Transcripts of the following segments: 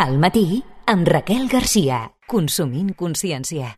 Al matí, amb Raquel Garcia. Consumint consciència.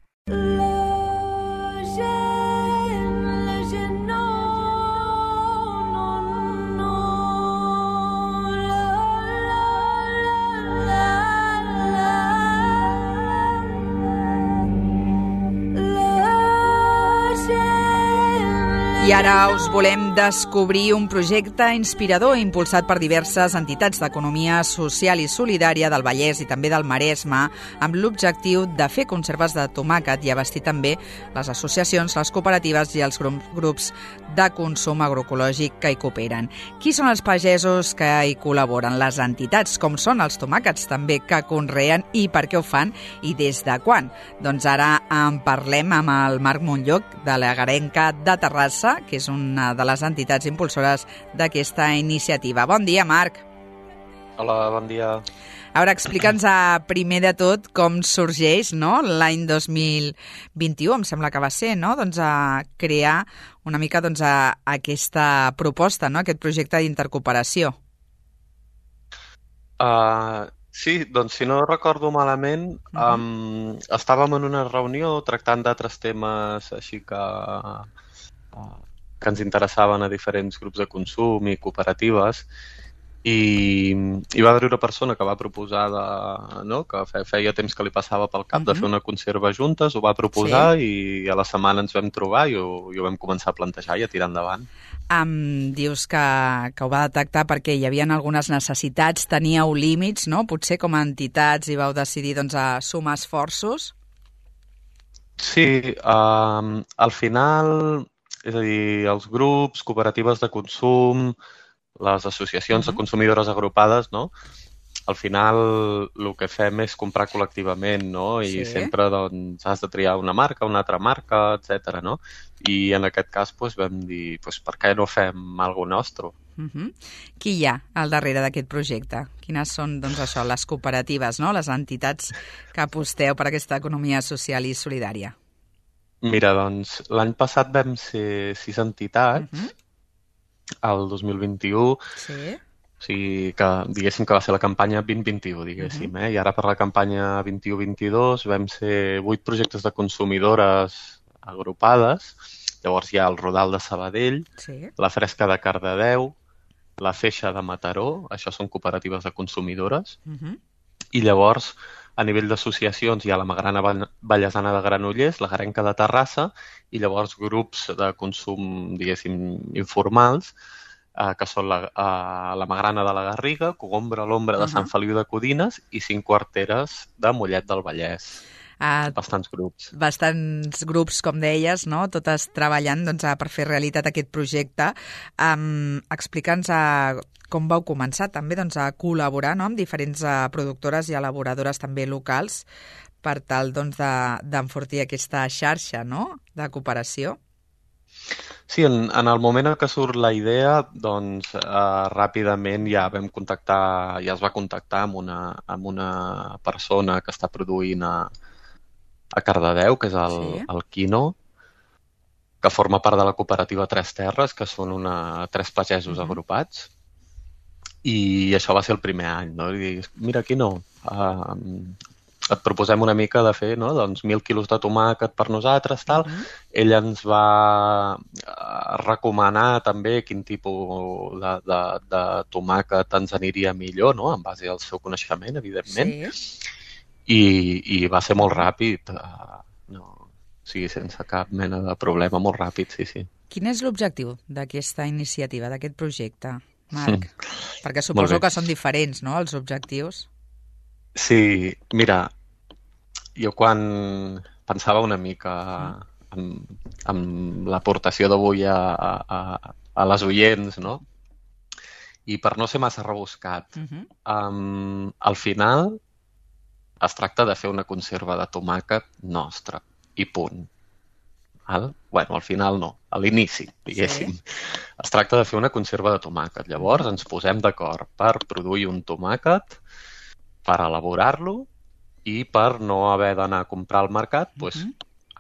I ara us volem descobrir un projecte inspirador impulsat per diverses entitats d'economia social i solidària del Vallès i també del Maresme, amb l'objectiu de fer conserves de tomàquet i abastir també les associacions, les cooperatives i els grups de consum agroecològic que hi cooperen. Qui són els pagesos que hi col·laboren? Les entitats, com són els tomàquets també que conreen i per què ho fan i des de quan? Doncs ara en parlem amb el Marc Montlloc, de la Garenca de Terrassa, que és una de les entitats impulsores d'aquesta iniciativa. Bon dia, Marc. Hola, bon dia. A veure, explica'ns primer de tot com sorgeix, no?, l'any 2021, em sembla que va ser, no?, doncs a crear una mica aquesta proposta, no?, aquest projecte d'intercooperació. Sí, doncs si no recordo malament, estàvem en una reunió tractant d'altres temes així que ens interessaven a diferents grups de consum i cooperatives i va haver una persona que va proposar, que feia temps que li passava pel cap de fer una conserva juntes, ho va proposar i a la setmana ens vam trobar i ho vam començar a plantejar i a tirar endavant. Dius que ho va detectar perquè hi havia algunes necessitats, teníeu límits, no? Potser com a entitats i vau decidir a sumar esforços? Sí, al final, és a dir, els grups, cooperatives de consum, les associacions de consumidores agrupades, no? Al final el que fem és comprar col·lectivament, no? I sempre has de triar una marca, una altra marca, etc. no? I en aquest cas vam dir, per què no fem alguna nostra? Qui hi ha al darrere d'aquest projecte? Quines són, les cooperatives, no? Les entitats que aposteu per aquesta economia social i solidària? Mira, l'any passat vam ser 6 entitats, el 2021, sí. O sigui que diguéssim que va ser la campanya 2021, diguéssim, i ara per la campanya 21-22 vam ser 8 projectes de consumidores agrupades, llavors hi ha el Rodal de Sabadell, la Fresca de Cardedeu, la Feixa de Mataró, això són cooperatives de consumidores, i llavors a nivell d'associacions hi ha la Magrana Vallesana de Granollers, la Garenca de Terrassa i llavors grups de consum, diguéssim, informals, que són la Magrana de la Garriga, Cogombra, l'Ombra de Sant Feliu de Codines i 5 quarteres de Mollet del Vallès. Bastants grups. Bastants grups, com deies, no? Totes treballant per fer realitat aquest projecte. Explica'ns com vau començar també a col·laborar amb diferents productores i elaboradores també locals per tal d'enfortir aquesta xarxa, no?, de cooperació. Sí, en el moment en què surt la idea, ràpidament ja es va contactar amb una persona que està produint a Cardedeu, que és el Quino, que forma part de la cooperativa Tres Terres, que són 3 pagesos agrupats. I això va ser el primer any, no? I dius, mira, Quino, et proposem una mica de fer 1.000 quilos de tomàquet per nosaltres, tal. Ell ens va recomanar també quin tipus de tomàquet ens aniria millor, no?, en base al seu coneixement, evidentment. I va ser molt ràpid, sense cap mena de problema, molt ràpid, sí. Quin és l'objectiu d'aquesta iniciativa, d'aquest projecte, Marc? Perquè suposo que són diferents, no?, els objectius. Sí, mira, jo quan pensava una mica en l'aportació d'avui a les oients, no?, i per no ser massa rebuscat, al final es tracta de fer una conserva de tomàquet nostra, i punt. Bueno, al final no, a l'inici, diguéssim. Es tracta de fer una conserva de tomàquet. Llavors ens posem d'acord per produir un tomàquet, per elaborar-lo i per no haver d'anar a comprar al mercat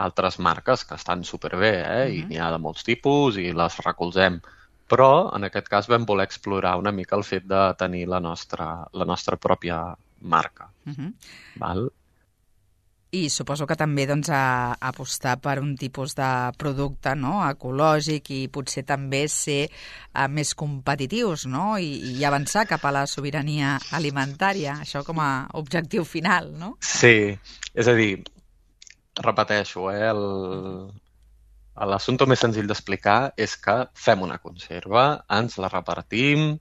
altres marques que estan superbé, i n'hi ha de molts tipus i les recolzem. Però en aquest cas vam voler explorar una mica el fet de tenir la nostra pròpia marca. Val? I suposo que també doncs, apostar per un tipus de producte, no?, ecològic i potser també ser més competitius, no?, i avançar cap a la sobirania alimentària, això com a objectiu final, no? Sí, és a dir, repeteixo, l'assumpte més senzill d'explicar és que fem una conserva, ens la repartim,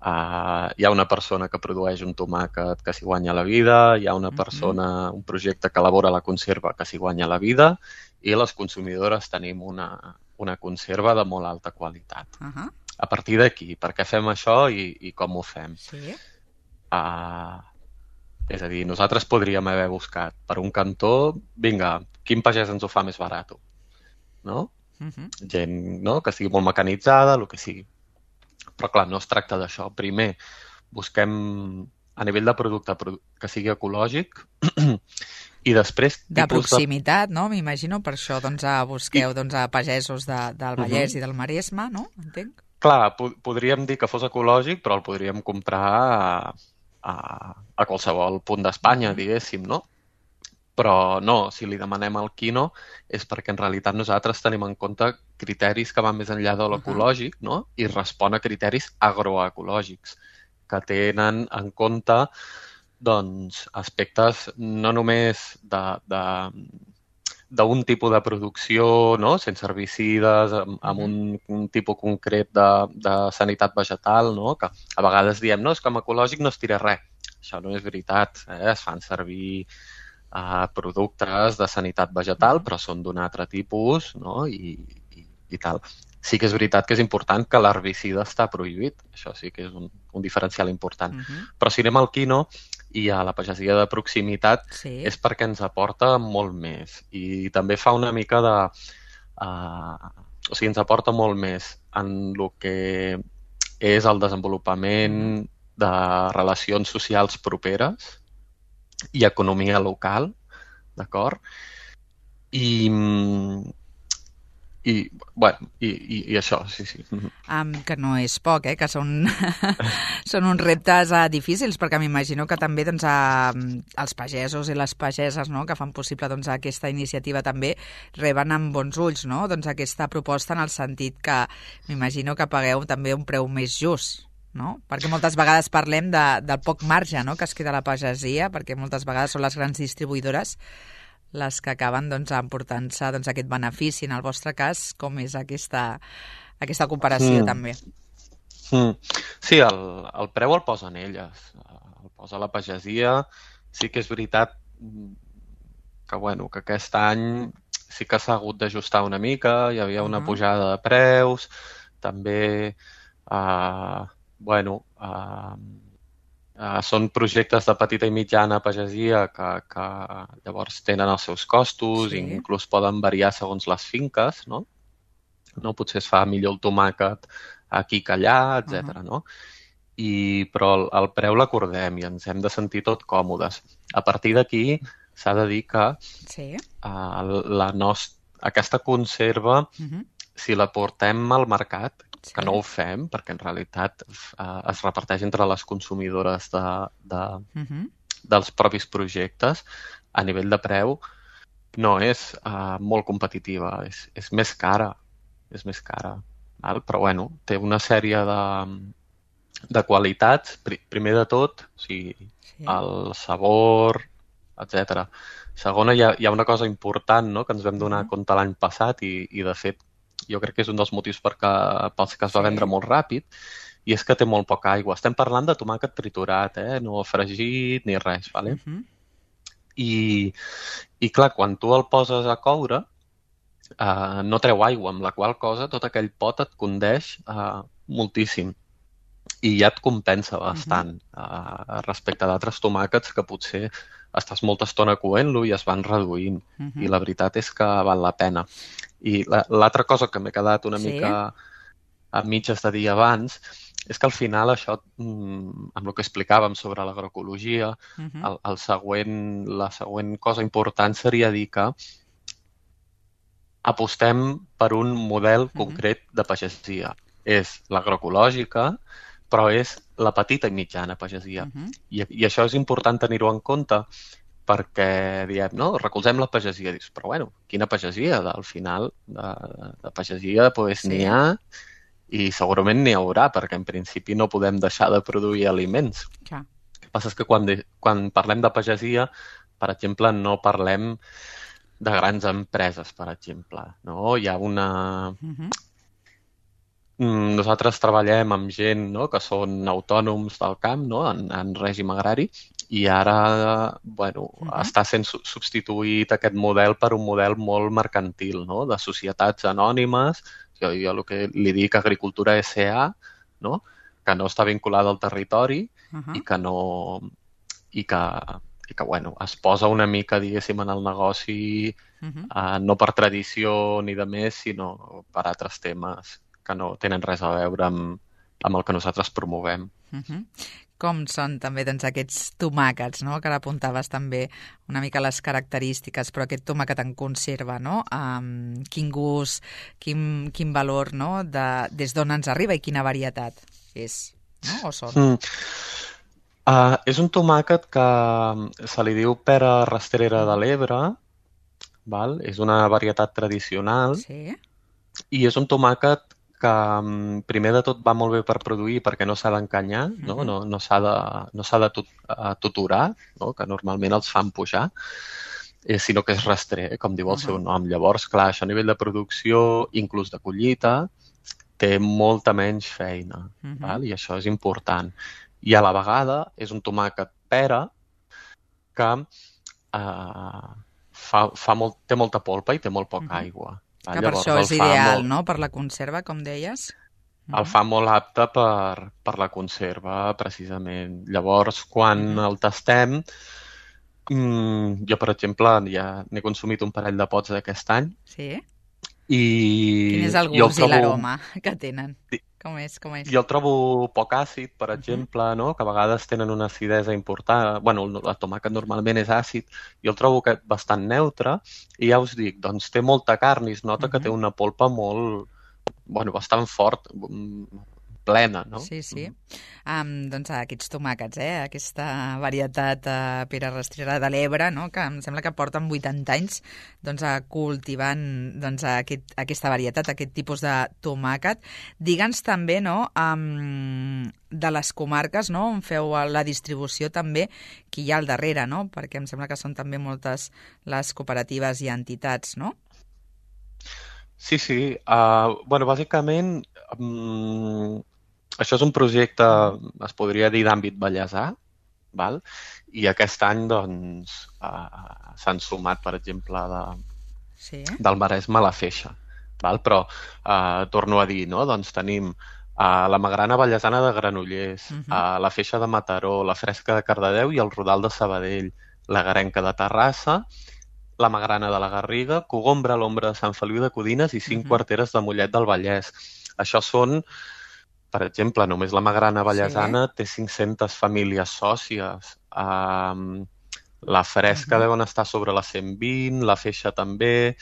hi ha una persona que produeix un tomàquet que s'hi guanya la vida, hi ha una persona, un projecte que elabora la conserva que s'hi guanya la vida i les consumidores tenim una conserva de molt alta qualitat. A partir d'aquí, per què fem això i com ho fem? Sí. És a dir, nosaltres podríem haver buscat per un cantó, vinga, quin pagès ens ho fa més barat? No? Gent, no?, que estigui molt mecanitzada, el que sigui. Però, clar, no es tracta d'això. Primer, busquem a nivell de producte que sigui ecològic i després... De proximitat, no? M'imagino, per això doncs, busqueu a pagesos del Vallès i del Maresme, no? Entenc? Clar, podríem dir que fos ecològic, però el podríem comprar a qualsevol punt d'Espanya, diguéssim, no? Però no, si li demanem al quino és perquè en realitat nosaltres tenim en compte criteris que van més enllà de l'ecològic, no? I respon a criteris agroecològics que tenen en compte doncs, aspectes no només d'un tipus de producció, no?, sense herbicides, amb un tipus concret de sanitat vegetal, no?, que a vegades diem, no, és que amb ecològic no es tira res. Això no és veritat, es fan servir productes de sanitat vegetal, però són d'un altre tipus, no?, i tal. Sí que és veritat que és important que l'herbicida està prohibit, això sí que és un diferencial important. Però si anem al quino i a la pagesia de proximitat és perquè ens aporta molt més i també fa una mica de... O sigui, ens aporta molt més en el que és el desenvolupament de relacions socials properes i economia local, d'acord? I això, sí. Que no és poc, que són uns reptes difícils, perquè m'imagino que també doncs, els pagesos i les pageses, no?, que fan possible doncs, aquesta iniciativa també reben amb bons ulls, no?, doncs, aquesta proposta en el sentit que m'imagino que pagueu també un preu més just, no? Perquè moltes vegades parlem del poc marge, no?, que es queda a la pagesia, perquè moltes vegades són les grans distribuïdores les que acaben doncs, emportant-se doncs, aquest benefici. En el vostre cas, com és aquesta comparació també? Sí, el preu el posen elles, el posa la pagesia. Sí que és veritat que, que aquest any sí que s'ha hagut d'ajustar una mica, hi havia una pujada de preus, també són projectes de petita i mitjana pagesia que llavors tenen els seus costos i inclús poden variar segons les finques, no? Potser es fa millor el tomàquet aquí que allà, etc. No? Però el preu l'acordem i ens hem de sentir tot còmodes. A partir d'aquí s'ha de dir que aquesta conserva, si la portem al mercat, que no ho fem, perquè en realitat es reparteix entre les consumidores dels propis projectes, a nivell de preu no és molt competitiva, és més cara. És més cara. Però, té una sèrie de qualitats, primer de tot, o sigui, el sabor, etc. Segona, hi ha una cosa important, no?, que ens vam donar compte l'any passat i de fet, jo crec que és un dels motius pels que es va vendre molt ràpid, i és que té molt poca aigua. Estem parlant de tomàquet triturat, no fregit ni res, ¿vale? I clar, quan tu el poses a coure, no treu aigua, amb la qual cosa tot aquell pot et condeix moltíssim. I ja et compensa bastant respecte d'altres tomàquets que potser estàs molta estona coent-lo i es van reduint. I la veritat és que val la pena. I l'altra cosa que m'he quedat una mica a mitges de dir abans és que al final això, amb el que explicàvem sobre l'agroecologia, la següent cosa important seria dir que apostem per un model concret de pagesia. És l'agroecològica, però és la petita i mitjana pagesia. I això és important tenir-ho en compte perquè diem, no, recolzem la pagesia. Dius, però bueno, quina pagesia? Al final de pagesia n'hi ha i segurament n'hi haurà, perquè en principi no podem deixar de produir aliments. Clar. El que passa és que quan parlem de pagesia, per exemple, no parlem de grans empreses, per exemple. No? Hi ha una... Nosaltres treballem amb gent, no?, que són autònoms del camp, no?, en règim agrari, i ara està sent substituït aquest model per un model molt mercantil, no?, de societats anònimes. Jo el que li dic agricultura SA, no?, que no està vinculada al territori i que es posa una mica, diguéssim, en el negoci no per tradició ni de més, sinó per altres temes que no tenen res a veure amb el que nosaltres promovem. Com són també aquests tomàquets, no? Que ara apuntaves també una mica les característiques, però aquest tomàquet en conserva, no? Quin gust, quin valor, no? Des d'on ens arriba i quina varietat és, no? O són? És un tomàquet que se li diu pera rastrera de l'Ebre, és una varietat tradicional i és un tomàquet que primer de tot va molt bé per produir perquè no s'ha d'encanyar, no s'ha de tutorar, que normalment els fan pujar, sinó que és rastrer, com diu el seu nom. Llavors, clar, això a nivell de producció, inclús de collita, té molta menys feina, i això és important. I a la vegada és un tomàquet pera que té molta polpa i té molt poca aigua. Que per això és ideal, no?, per la conserva, com deies. El fa molt apte per la conserva, precisament. Llavors, quan el tastem, jo, per exemple, ja n'he consumit un parell de pots d'aquest any. Sí? I quin és el gust i l'aroma que tenen? Com és? Jo el trobo poc àcid, per exemple, no?, que a vegades tenen una acidesa important. Bueno, el tomàquet normalment és àcid. Jo el trobo bastant neutre i ja us dic, doncs té molta carn i es nota que té una polpa molt, bastant fort, plena, no? Sí. Doncs aquests tomàquets, aquesta varietat pera rastrera de l'Ebre, no?, que em sembla que porten 80 anys cultivant aquesta varietat, aquest tipus de tomàquet. Digue'ns també, no?, de les comarques, no?, on feu la distribució també, qui hi ha al darrere, no?, perquè em sembla que són també moltes les cooperatives i entitats, no? Sí. Bàsicament, això és un projecte, es podria dir, d'àmbit vallesà, i aquest any s'han sumat, per exemple, del Maresme a la Feixa. Però torno a dir, tenim la Magrana Vallesana de Granollers, la Feixa de Mataró, la Fresca de Cardedeu i el Rodal de Sabadell, la Garenca de Terrassa, la Magrana de la Garriga, Cogombra, l'Ombra de Sant Feliu de Codines i 5 quarteres de Mollet del Vallès. Això són, per exemple, només la Magrana Vallesana té 500 famílies sòcies. La Fresca deuen estar sobre les 120, la Feixa també,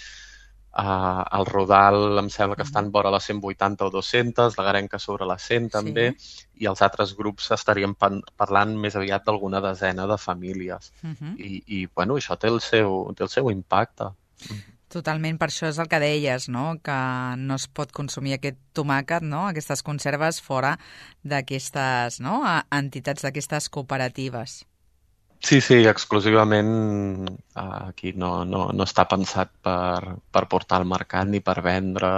el Rodal em sembla que estan vora les 180 o 200, la Garenca sobre les 100 també, i els altres grups estaríem parlant més aviat d'alguna desena de famílies. I això té el seu impacte. Totalment, per això és el que deies, no?, que no es pot consumir aquest tomàquet, no?, aquestes conserves fora d'aquestes entitats, d'aquestes cooperatives. Sí, exclusivament aquí no està pensat per portar al mercat ni per vendre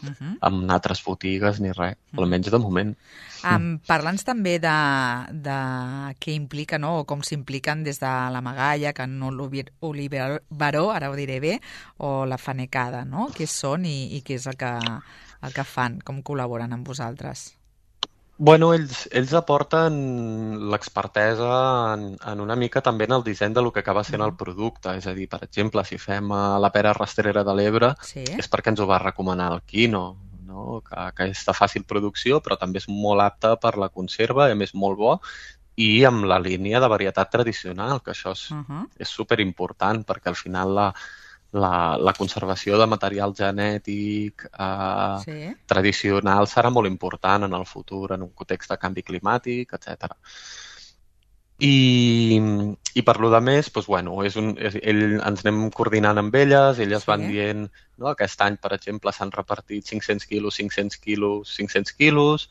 en altres botigues ni res, almenys de moment. Parla'ns també de què implica, no?, o com s'impliquen des de la Magaia, Can Oliveró, ara ho diré bé, o la Fanecada, no?, què són i què és el que fan, com col·laboren amb vosaltres? Ells aporten l'expertesa en una mica també en el disseny del que acaba sent el producte. És a dir, per exemple, si fem la pera rastrera de l'Ebre, és perquè ens ho va recomanar el Quino, que és de fàcil producció, però també és molt apte per la conserva, a més molt bo, i amb la línia de varietat tradicional, que això és superimportant, perquè al final la conservació de material genètic Sí. tradicional serà molt important en el futur, en un context de canvi climàtic, etc. I per lo de més, doncs, bueno, ens anem coordinant amb elles van Sí. dient, no, aquest any, per exemple, s'han repartit 500 quilos, 500 quilos, 500 quilos,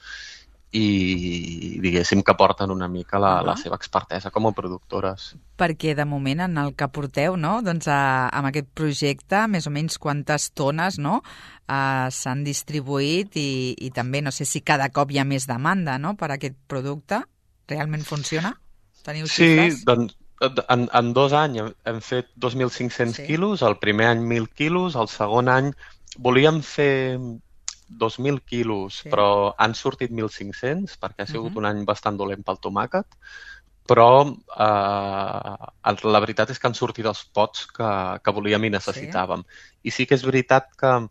i diguéssim que porten una mica la seva expertesa com a productores. Perquè de moment en el que porteu, no? Doncs amb aquest projecte, més o menys quantes tones, no? S'han distribuït i també no sé si cada cop hi ha més demanda, no? Per aquest producte. Realment funciona? Teniu Sí, xifres? doncs en 2 anys hem fet 2.500 quilos, el primer any 1.000 quilos, el segon any volíem fer 2.000 quilos, però han sortit 1.500 perquè ha sigut un any bastant dolent pel tomàquet, però la veritat és que han sortit els pots que volíem i necessitàvem. I sí que és veritat que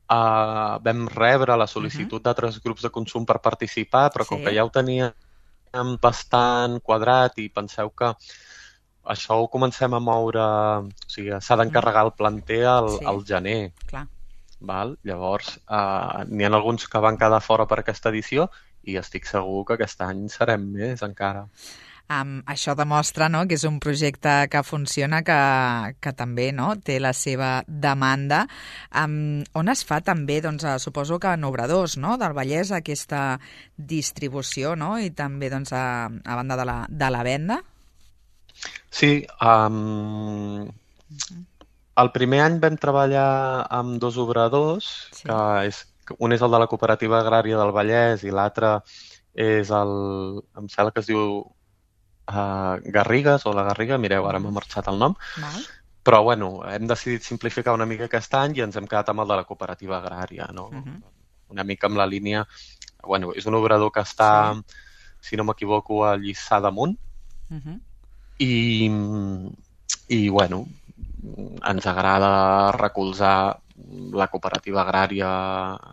vam rebre la sol·licitud d'altres grups de consum per participar, però com que ja ho teníem bastant quadrat i penseu que això ho comencem a moure, o sigui, s'ha d'encarregar el planter al gener. Clar. Val? Llavors, n'hi ha alguns que van quedar fora per aquesta edició i estic segur que aquest any serem més encara. Això demostra, no?, que és un projecte que funciona, que també, no?, té la seva demanda. On es fa també, doncs, suposo que en obradors, no?, del Vallès, aquesta distribució, no?, i també, doncs, a banda de la venda? Sí, el primer any vam treballar amb 2 obradors, un és el de la Cooperativa Agrària del Vallès i l'altre és em sembla que es diu Garrigues o la Garriga, mireu, ara m'ha marxat el nom, però bueno, hem decidit simplificar una mica aquest any i ens hem quedat amb el de la Cooperativa Agrària, no? Una mica amb la línia, bueno, és un obrador que està, si no m'equivoco, a Lliçà d'Amunt, i bueno, ens agrada recolzar la cooperativa agrària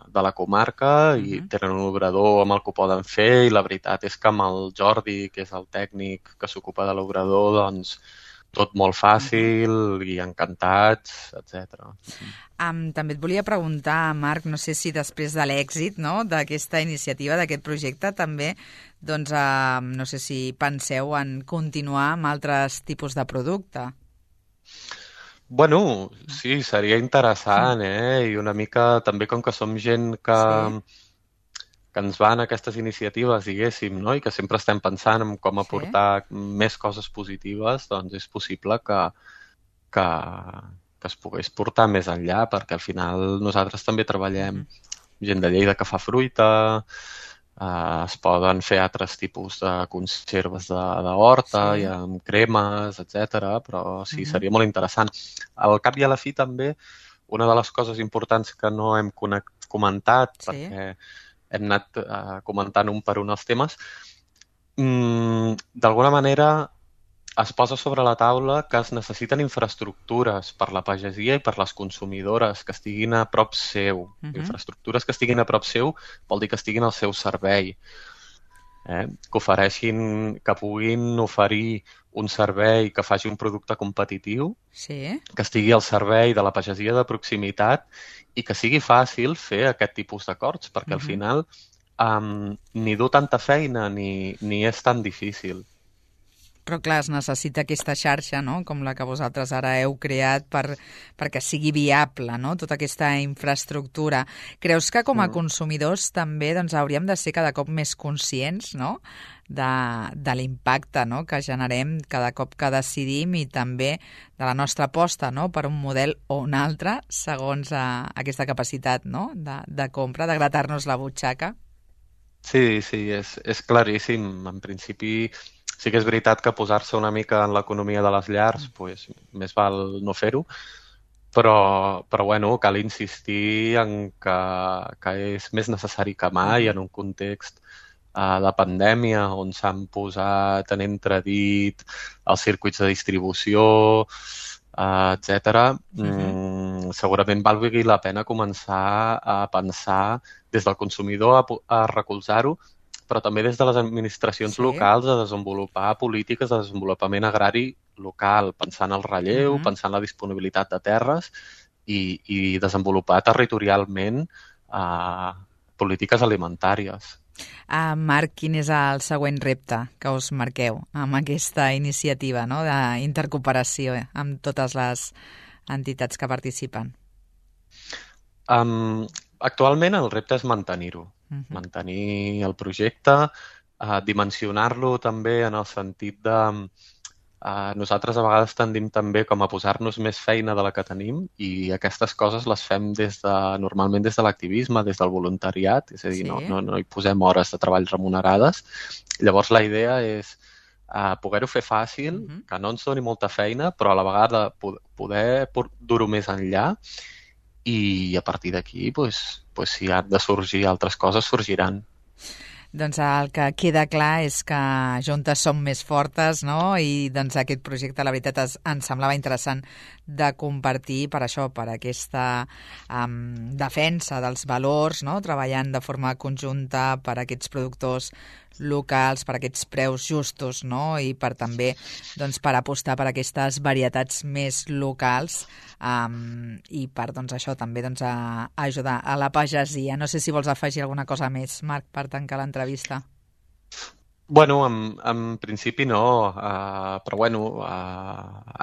de la comarca i tenen un obrador amb el que ho poden fer i la veritat és que amb el Jordi, que és el tècnic que s'ocupa de l'obrador, doncs tot molt fàcil i encantats, etc. També et volia preguntar, Marc, no sé si després de l'èxit, no?, d'aquesta iniciativa, d'aquest projecte, també, doncs, no sé si penseu en continuar amb altres tipus de producte. Bueno, sí, seria interessant, I una mica també com que som gent que ens van a aquestes iniciatives, diguéssim, no? I que sempre estem pensant en com aportar més coses positives, doncs és possible que es pogués portar més enllà, perquè al final nosaltres també treballem gent de Lleida que fa fruita, es poden fer altres tipus de conserves d'horta, i amb cremes, etc. Però sí, seria molt interessant. Al cap i a la fi també, una de les coses importants que no hem comentat, perquè hem anat comentant un per un els temes, d'alguna manera es posa sobre la taula que es necessiten infraestructures per la pagesia i per les consumidores que estiguin a prop seu. Infraestructures que estiguin a prop seu vol dir que estiguin al seu servei. Que ofereixin, que puguin oferir un servei que faci un producte competitiu, que estigui al servei de la pagesia de proximitat i que sigui fàcil fer aquest tipus d'acords, perquè al final ni du tanta feina ni és tan difícil. Però clar, es necessita aquesta xarxa, no?, com la que vosaltres ara heu creat perquè sigui viable, no?, tota aquesta infraestructura. Creus que com a consumidors també doncs, hauríem de ser cada cop més conscients, no?, de l'impacte, no?, que generem cada cop que decidim i també de la nostra aposta, no?, per un model o un altre segons aquesta capacitat, no?, de compra, de gratar-nos la butxaca? Sí, és claríssim. En principi sí que és veritat que posar-se una mica en l'economia de les llars, doncs, més val no fer-ho, però bueno, cal insistir en que és més necessari que mai en un context de pandèmia on s'han posat en entredit els circuits de distribució, etc. Segurament valgui la pena començar a pensar des del consumidor a recolzar-ho, però també des de les administracions locals a desenvolupar polítiques de desenvolupament agrari local, pensant el relleu, pensant la disponibilitat de terres i desenvolupar territorialment polítiques alimentàries. Marc, quin és el següent repte que us marqueu amb aquesta iniciativa, no?, d'intercooperació amb totes les entitats que participen? Actualment el repte és mantenir-ho, mantenir el projecte, dimensionar-lo també en el sentit de... nosaltres a vegades tendim també com a posar-nos més feina de la que tenim i aquestes coses les fem normalment des de l'activisme, des del voluntariat, és a dir, no hi posem hores de treball remunerades. Llavors la idea és poder-ho fer fàcil, que no ens doni molta feina, però a la vegada poder dur-ho més enllà i a partir d'aquí, si han de sorgir altres coses, sorgiran. Doncs el que queda clar és que juntes som més fortes, no? I doncs aquest projecte, la veritat, ens semblava interessant de compartir per això, per aquesta defensa dels valors, no? Treballant de forma conjunta per aquests productors locals, per aquests preus justos, no? I per també per apostar per aquestes varietats més locals i per això també ajudar a la pagesia. No sé si vols afegir alguna cosa més, Marc, per tancar l'entrevista. Bueno, en principi no, però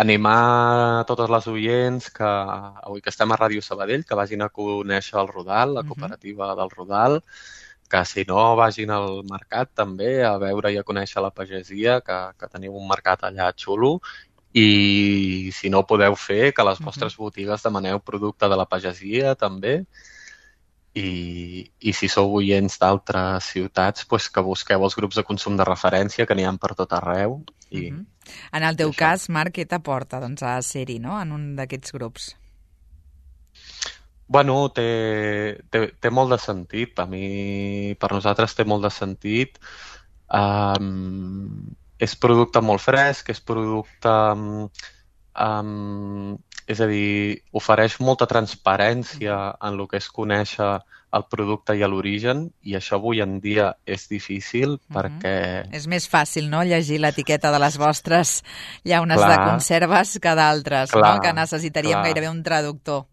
animar totes les oients que avui que estem a Ràdio Sabadell que vagin a conèixer el Rodal, la cooperativa del Rodal, que si no vagin al mercat també a veure i a conèixer la pagesia, que teniu un mercat allà xulo, i si no ho podeu fer, que a les vostres botigues demaneu producte de la pagesia també, i si sou oients d'altres ciutats, que busqueu els grups de consum de referència, que n'hi ha per tot arreu. En el teu cas, Marc, què t'aporta a ser-hi, no?, en un d'aquests grups? Bueno, té molt de sentit. Per nosaltres té molt de sentit. És producte molt fresc, és producte... és a dir, ofereix molta transparència en el que és conèixer el producte i l'origen, i això avui en dia és difícil perquè... És més fàcil, no?, llegir l'etiqueta de les vostres llaunes de conserves que d'altres, no?, que necessitaríem gairebé un traductor.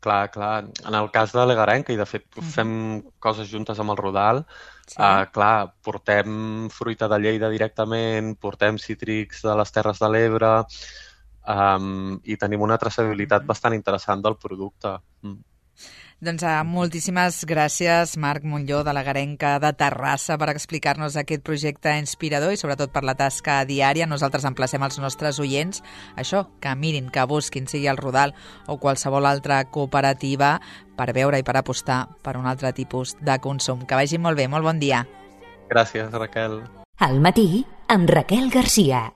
Clar. En el cas de l'Egarenca, i de fet fem coses juntes amb el Rodal, portem fruita de Lleida directament, portem cítrics de les Terres de l'Ebre i tenim una traçabilitat bastant interessant del producte. Doncs moltíssimes gràcies, Marc Montlló, de l'Egarenca de Terrassa, per explicar-nos aquest projecte inspirador i sobretot per la tasca diària. Nosaltres emplacem els nostres oients, això, que mirin, que busquin, sigui el Rodal o qualsevol altra cooperativa, per veure i per apostar per un altre tipus de consum. Que vagi molt bé, molt bon dia. Gràcies, Raquel. Al matí, amb Raquel Garcia.